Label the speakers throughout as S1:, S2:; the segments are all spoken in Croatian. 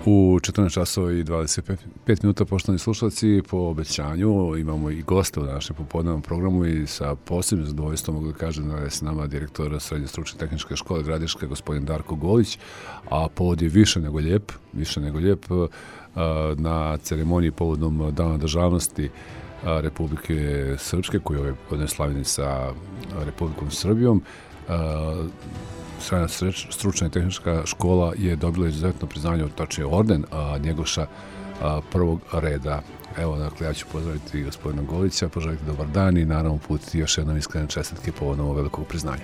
S1: U 14 časova i 25 minuta, poštovani slušalci, po obećanju imamo i goste u našem popodnevnom programu i sa posebnim zadovoljstvom mogu da kažem da je s nama direktor Srednje stručne tehničke škole Gradiška, gospodin Darko Golić, a povod je više nego lijep, na ceremoniji povodom Dana državnosti Republike Srpske, koji je ove godine slavljeni sa Republikom Srbijom. Srednja stručna i tehnička škola je dobila izuzetno priznanje, tačnije orden Njegoša prvog reda. Evo, dakle, ja ću pozdraviti gospodina Golića, poželiti dobar dan i naravno uputiti još jednom iskrene čestitke povodom ovog velikog priznanja.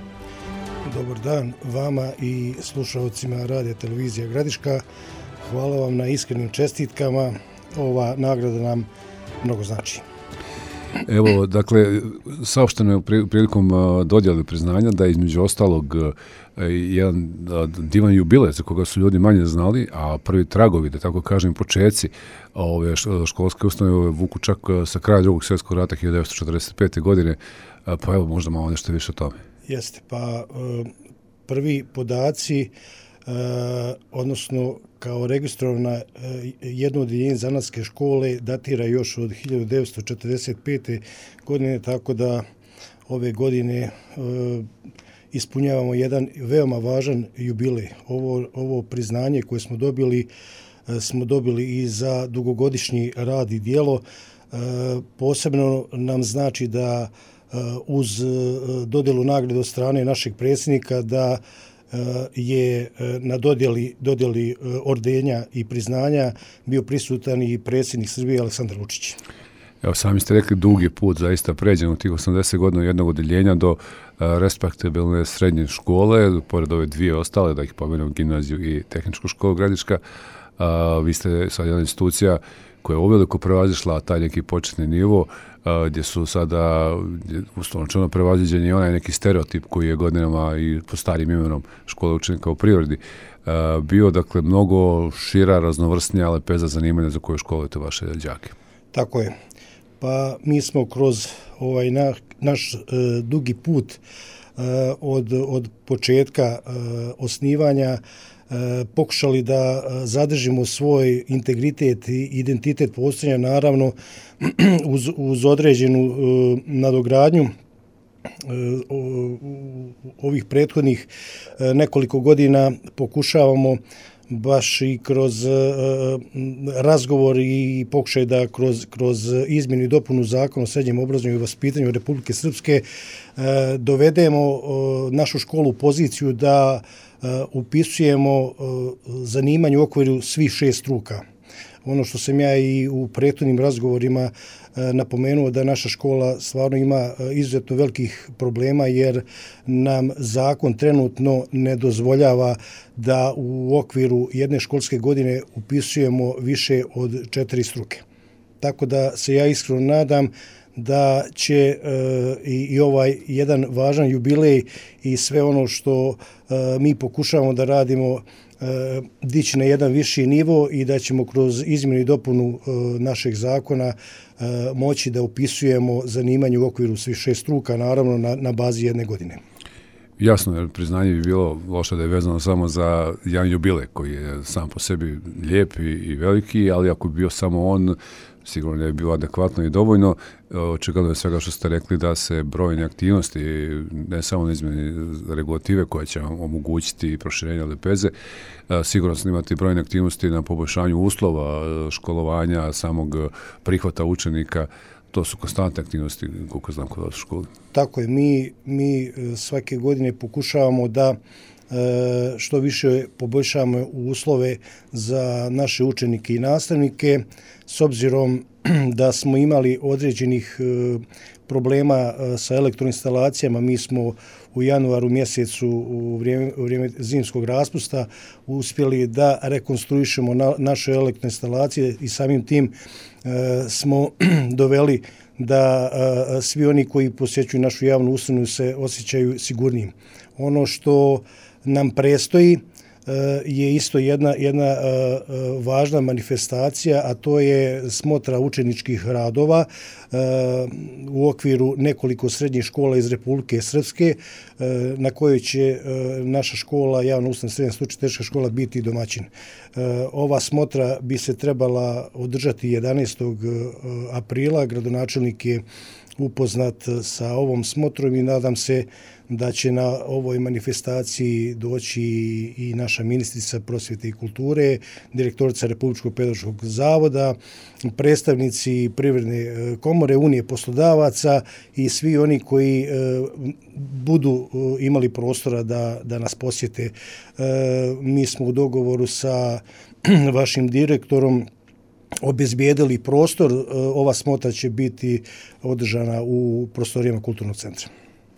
S2: Dobar dan vama i slušalcima radija televizija Gradiška. Hvala vam na iskrenim čestitkama. Ova nagrada nam mnogo znači.
S1: Evo, dakle, saopšteno je prilikom dodjele priznanja da je između ostalog jedan divan jubilej za koga su ljudi manje znali, a prvi tragovi, da tako kažem, počeci ove školske ustanove vuku čak sa kraja Drugog svjetskog rata 1945. godine, pa evo možda malo nešto više o tome.
S2: Jeste, pa prvi podaci, odnosno kao registrovana jedno odjeljenje zanatske škole datira još od 1945. godine, tako da ove godine ispunjavamo jedan veoma važan jubilej. Ovo priznanje koje smo dobili i za dugogodišnji rad i djelo. Posebno nam znači da uz dodjelu nagrade od strane našeg predsjednika da je na dodjeli ordenja i priznanja bio prisutan i predsjednik Srbije Aleksandar Vučić.
S1: Evo, sami ste rekli, dugi put zaista pređen u tih 80 godina jednog odeljenja do respektabilne srednje škole, pored ove dvije ostale, da ih pomenem, gimnaziju i tehničku školu Gradiška. Vi ste sad jedna institucija koja je uveliko prevazišla taj neki početni nivo, gdje su sada uslovno prevaziđen i onaj neki stereotip koji je godinama i po starim imenom škole učenika u prirodi bio, dakle, mnogo šira, raznovrsnija lepeza zanimanja za koju školujete vaše đake.
S2: Tako je. Pa mi smo kroz ovaj naš dugi put od početka osnivanja pokušali da zadržimo svoj integritet i identitet postojanja, naravno uz određenu nadogradnju ovih prethodnih nekoliko godina pokušavamo baš i kroz razgovor i pokušaj da kroz izmjenu i dopunu Zakona o srednjem obrazovanju i vaspitanju Republike Srpske dovedemo našu školu u poziciju da upisujemo zanimanje u okviru svih 6 struka. Ono što sam ja i u prethodnim razgovorima napomenuo, da naša škola stvarno ima izuzetno velikih problema jer nam zakon trenutno ne dozvoljava da u okviru jedne školske godine upisujemo više od 4 struke. Tako da se ja iskreno nadam da će i ovaj jedan važan jubilej i sve ono što mi pokušavamo da radimo dići na jedan viši nivo i da ćemo kroz izmjenu i dopunu našeg zakona moći da upisujemo zanimanje u okviru svih 6 struka, naravno na bazi jedne godine.
S1: Jasno, jer priznanje bi bilo loše da je vezano samo za jedan jubilej koji je sam po sebi lijep i veliki, ali ako bi bio samo on, sigurno ne bi bilo adekvatno i dovoljno. Očigledno je svega što ste rekli da se brojne aktivnosti, ne samo na izmjeni regulative koja će vam omogućiti proširenje lepeze, sigurno se imati brojne aktivnosti na poboljšanju uslova školovanja, samog prihvata učenika. To su konstantne aktivnosti, koliko znam, kod vas u školi.
S2: Tako je, mi svake godine pokušavamo da što više poboljšamo uslove za naše učenike i nastavnike, s obzirom da smo imali određenih problema sa elektroinstalacijama. Mi smo u januaru mjesecu u vrijeme zimskog raspusta uspjeli da rekonstruišemo naše elektroinstalacije i samim tim smo doveli da svi oni koji posjećuju našu javnu ustanovu se osjećaju sigurnijim. Ono što nam prestoji je isto jedna važna manifestacija, a to je smotra učeničkih radova u okviru nekoliko srednjih škola iz Republike Srpske, na kojoj će naša škola, javna ustanova srednja stručna tehnička škola, biti domaćin. Ova smotra bi se trebala održati 11. aprila. Gradonačelnik je upoznat sa ovom smotrom i nadam se da će na ovoj manifestaciji doći i naša ministrica prosvjete i kulture, direktorica Republičkog pedagoškog zavoda, predstavnici Privredne komore, Unije poslodavaca i svi oni koji budu imali prostora da nas posjete. Mi smo u dogovoru sa vašim direktorom obezbijedili prostor. Ova smotra će biti održana u prostorijama kulturnog centra.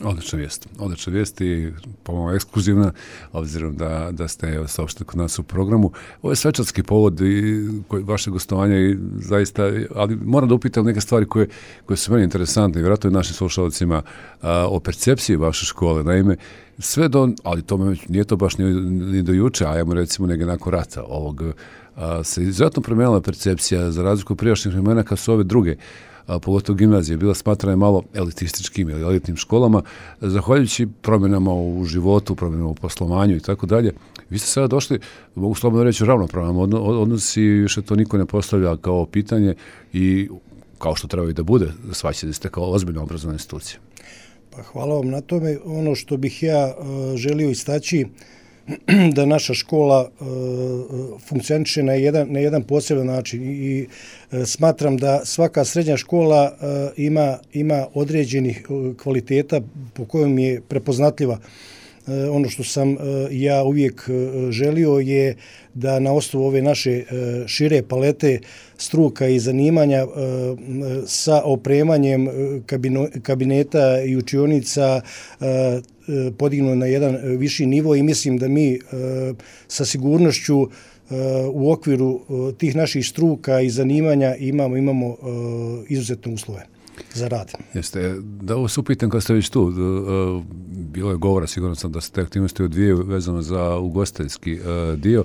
S1: Odlična vijest i pomalo ekskluzivna, obzirom da ste saopštili kod nas u programu. Ovo je svečarski povod i vaše gostovanja i zaista, ali moram da upitam neke stvari koje su meni interesantne i vjerojatno i našim slušalcima o percepciji vaše škole. Naime, sve ali to nije to baš ni do juče, ajmo recimo negdje nakon rata ovog, se izuzetno promijenila percepcija za razliku od prijašnjih vremena kad su ove druge, pogotovo gimnazije, bila smatrana malo elitističkim ili elitnim školama, zahvaljujući promjenama u životu, promjenama u poslovanju i tako dalje. Vi ste sada došli, mogu slobodno reći, ravnopravan odnos i više to niko ne postavlja kao pitanje i kao što treba i da bude, shvaćate ste kao ozbiljna obrazovna institucija.
S2: Pa hvala vam na tome. Ono što bih ja želio istaći, da naša škola funkcioniše na jedan poseban način i smatram da svaka srednja škola ima određenih kvaliteta po kojom je prepoznatljiva. Ono što sam ja uvijek želio je da na osnovu ove naše šire palete struka i zanimanja sa opremanjem kabineta i učionica podignu na jedan viši nivo i mislim da mi sa sigurnošću u okviru tih naših struka i zanimanja imamo izuzetne uslove za rad.
S1: Jeste, da ovo se upitam kad ste već tu, bilo je govora, sigurno sam da ste aktivnosti odvijaju vezano za ugostiteljski dio,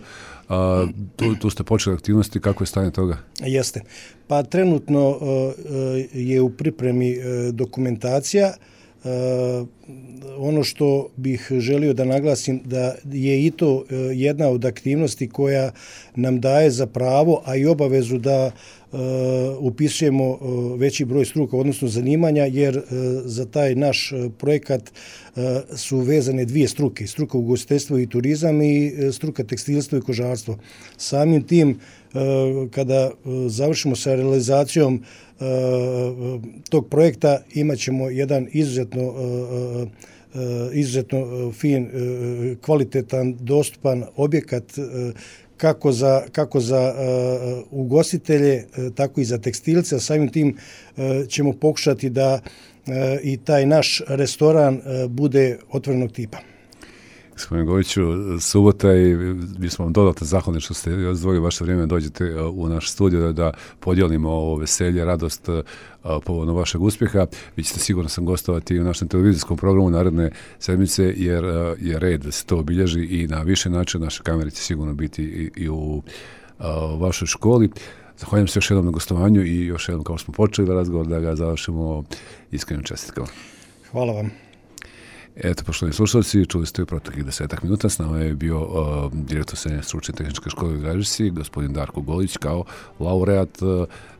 S1: tu ste počeli aktivnosti, kako je stanje toga? Jeste.
S2: Pa trenutno je u pripremi dokumentacija. Ono što bih želio da naglasim da je i to jedna od aktivnosti koja nam daje za pravo, a i obavezu da upisujemo veći broj struka, odnosno zanimanja, jer za taj naš projekat su vezane dvije struke, struka ugostiteljstvo i turizam i struka tekstilstvo i kožarstvo. Samim tim, kada završimo sa realizacijom tog projekta, imat ćemo jedan izuzetno fin, kvalitetan, dostupan objekat kako za ugostitelje, tako i za tekstilce, a samim tim ćemo pokušati da i taj naš restoran bude otvorenog tipa.
S1: Gospodin Goviću, subota i mi smo vam dodatno zahvalni što ste izdvojili vaše vrijeme, dođete u naš studio da podijelimo ovo veselje, radost povodom vašeg uspjeha. Vi ćete sigurno sam gostovati u našem televizijskom programu naredne sedmice, jer je red da se to obilježi i na više način. Naše kamere će sigurno biti i u vašoj školi. Zahvaljujem se još jednom na gostovanju i još jednom, kao smo počeli razgovor, da ga završimo iskrenim čestitkama.
S2: Hvala vam.
S1: Eto, poštovani slušalci, čuli ste u proteklih 10 minuta. S nama je bio direktor Srednje stručne tehničke škole u Gradišci, gospodin Darko Golić, kao laureat,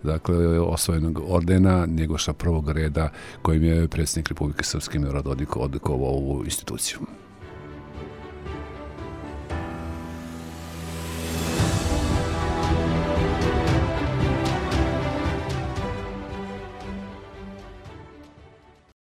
S1: dakle, osvojenog ordena Njegoša prvog reda, kojim je predsjednik Republike Srpske Milorad Dodik odlikovao ovu instituciju.